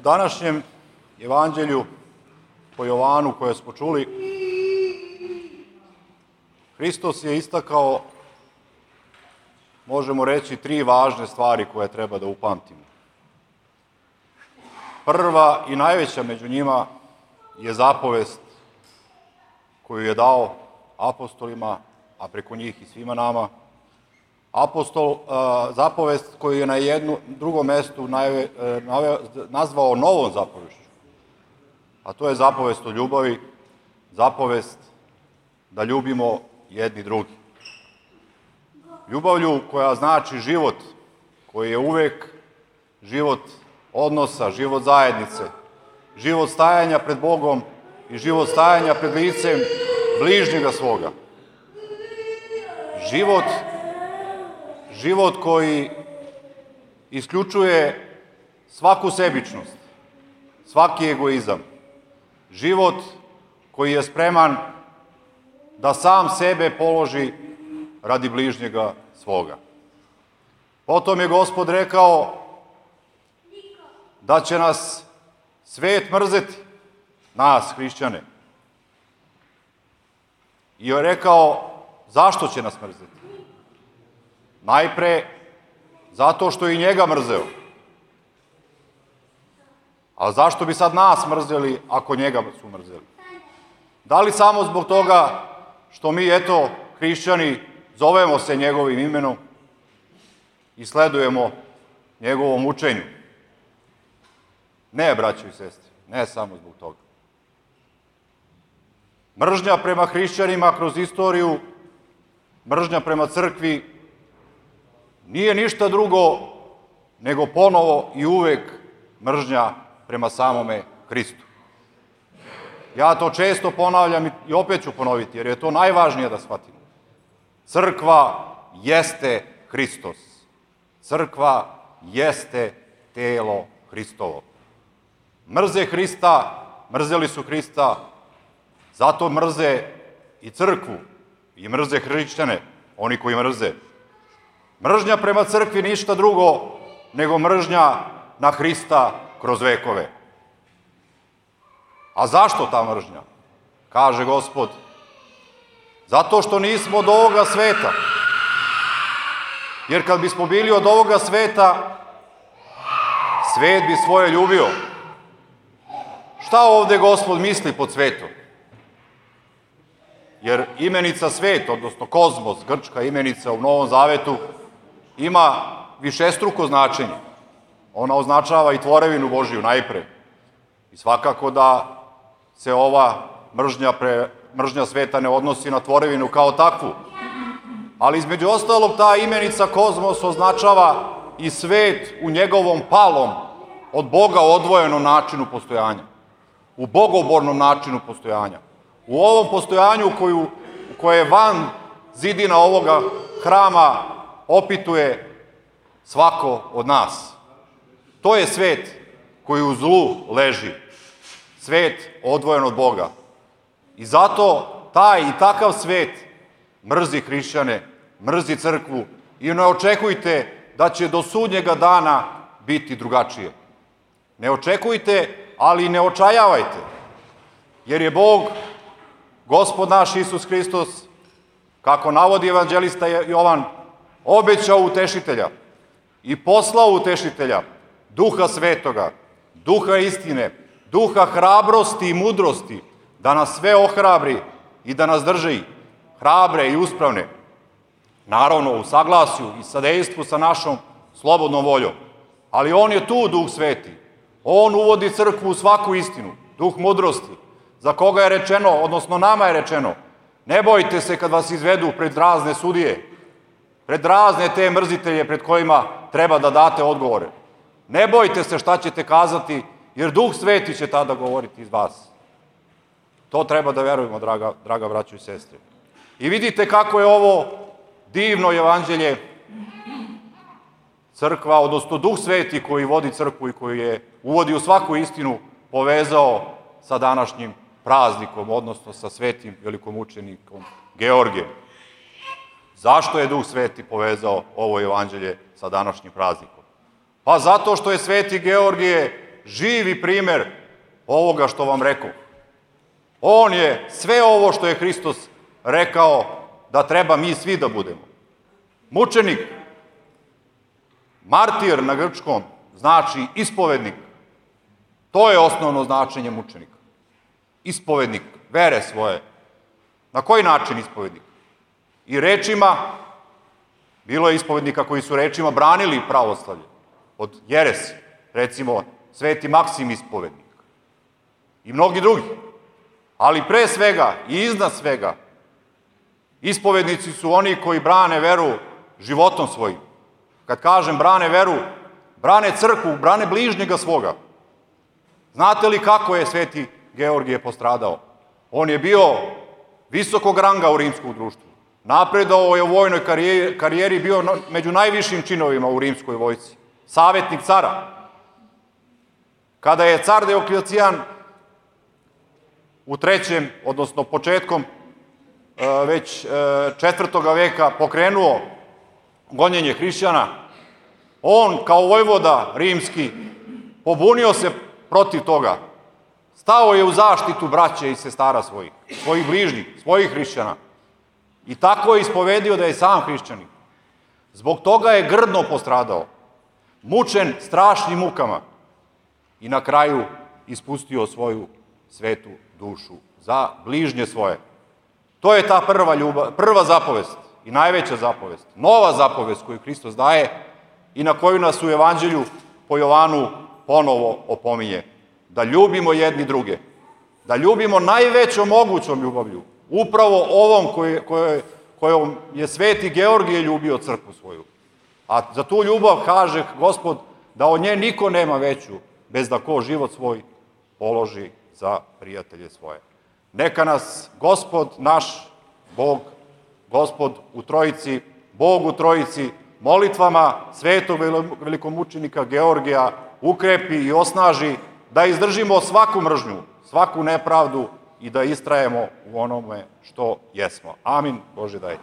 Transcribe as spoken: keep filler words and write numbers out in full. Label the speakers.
Speaker 1: U današnjem evanđelju po Jovanu koje smo čuli, Hristos je istakao, možemo reći, tri važne stvari koje treba da upamtimo. Prva i najveća među njima je zapovest koju je dao apostolima, a preko njih i svima nama. Apostol, zapovest koju je na jednu, drugom mestu nazvao novom zapovešću, a to je zapovest o ljubavi, zapovest da ljubimo jedni drugi. Ljubavlju koja znači život, koji je uvek život odnosa, život zajednice, život stajanja pred Bogom i život stajanja pred licem bližnjega svoga. Život, život koji isključuje svaku sebičnost, svaki egoizam. Život koji je spreman da sam sebe položi radi bližnjega svoga. Potom je Gospod rekao da će nas svet mrzeti, nas, hrišćane. I je rekao zašto će nas mrzeti. Najpre zato što i njega mrzeo. A zašto bi sad nas mrzeli ako njega su mrzeli? Da li samo zbog toga što mi, eto, hrišćani, zovemo se njegovim imenom i sledujemo njegovom učenju? Ne, braćo i sestre, ne samo zbog toga. Mržnja prema hrišćanima kroz istoriju, mržnja prema crkvi, nije ništa drugo nego ponovo i uvek mržnja prema samome Hristu. Ja to često ponavljam i opet ću ponoviti, jer je to najvažnije da shvatimo. Crkva jeste Hristos. Crkva jeste telo Hristovo. Mrze Hrista, mrzeli su Hrista, zato mrze i crkvu i mrze hrišćane, oni koji mrze. Mržnja prema crkvi ništa drugo nego mržnja na Hrista kroz vekove. A zašto ta mržnja? Kaže Gospod, zato što nismo od ovoga sveta. Jer kad bismo bili od ovoga sveta, svet bi svoje ljubio. Šta ovde Gospod misli pod svetom? Jer imenica svet, odnosno kozmos, grčka imenica u Novom Zavetu, ima višestruko značenje. Ona označava i tvorevinu Božiju najpre. I svakako da se ova mržnja, pre, mržnja sveta ne odnosi na tvorevinu kao takvu. Ali između ostalog ta imenica kozmos označava i svet u njegovom palom, od Boga odvojenom načinu postojanja. U bogobornom načinu postojanja. U ovom postojanju koju, koje je van zidina ovoga hrama opituje svako od nas. To je svet koji u zlu leži. Svet odvojen od Boga. I zato taj i takav svet mrzi hrišćane, mrzi crkvu i ne očekujte da će do sudnjega dana biti drugačije. Ne očekujte, ali ne očajavajte. Jer je Bog, Gospod naš Isus Hristos, kako navodi evanđelista Jovan, obećao utešitelja i poslao utešitelja, Duha Svetoga, Duha istine, Duha hrabrosti i mudrosti, da nas sve ohrabri i da nas drži hrabre i uspravne. Naravno, u saglasju i sadejstvu sa našom slobodnom voljom. Ali on je tu, Duh Sveti. On uvodi crkvu u svaku istinu, Duh mudrosti, za koga je rečeno, odnosno nama je rečeno, ne bojte se kad vas izvedu pred razne sudije, pred razne te mrzitelje pred kojima treba da date odgovore. Ne bojte se šta ćete kazati, jer Duh Sveti će tada govoriti iz vas. To treba da verujemo, draga, draga braćo i sestre. I vidite kako je ovo divno evanđelje crkva, odnosno Duh Sveti koji vodi crkvu i koji je uvodi u svaku istinu, povezao sa današnjim praznikom, odnosno sa svetim velikomučenikom Georgijem. Zašto je Duh Sveti povezao ovo evanđelje sa današnjim praznikom? Pa zato što je sveti Georgije živi primer ovoga što vam rekao. On je sve ovo što je Hristos rekao da treba mi svi da budemo. Mučenik, martir na grčkom, znači ispovednik. To je osnovno značenje mučenika. Ispovednik vere svoje. Na koji način ispovednik? I rečima, bilo je ispovednika koji su rečima branili pravoslavlje od jeresi, recimo Sveti Maksim ispovednik i mnogi drugi. Ali pre svega i iznad svega, ispovednici su oni koji brane veru životom svojim. Kad kažem brane veru, brane crkvu, brane bližnjega svoga. Znate li kako je Sveti Georgije postradao? On je bio visokog ranga u rimskom društvu. Napredao je u vojnoj karijeri, bio među najvišim činovima u rimskoj vojsci. Savetnik cara. Kada je car Dioklecijan u trećem, odnosno početkom već četvrtoga veka pokrenuo gonjenje hrišćana, on kao vojvoda rimski pobunio se protiv toga. Stao je u zaštitu braće i sestara svojih, svojih bližnjih, svojih hrišćana. I tako je ispovedio da je sam hrišćanin. Zbog toga je grdno postradao, mučen strašnim mukama i na kraju ispustio svoju svetu dušu za bližnje svoje. To je ta prva ljubav, prva zapovest i najveća zapovest, nova zapovest koju Hristos daje i na koju nas u Evanđelju po Jovanu ponovo opominje. Da ljubimo jedni druge, da ljubimo najvećom mogućom ljubavlju, upravo ovom kojom je Sveti Georgije ljubio crkvu svoju. A za tu ljubav kaže Gospod da od nje niko nema veću, bez da ko život svoj položi za prijatelje svoje. Neka nas Gospod naš, Bog, Gospod u Trojici, Bog u Trojici, molitvama svetog velikomučenika Georgija ukrepi i osnaži da izdržimo svaku mržnju, svaku nepravdu i da istrajemo u onome što jesmo. Amin. Bože daj.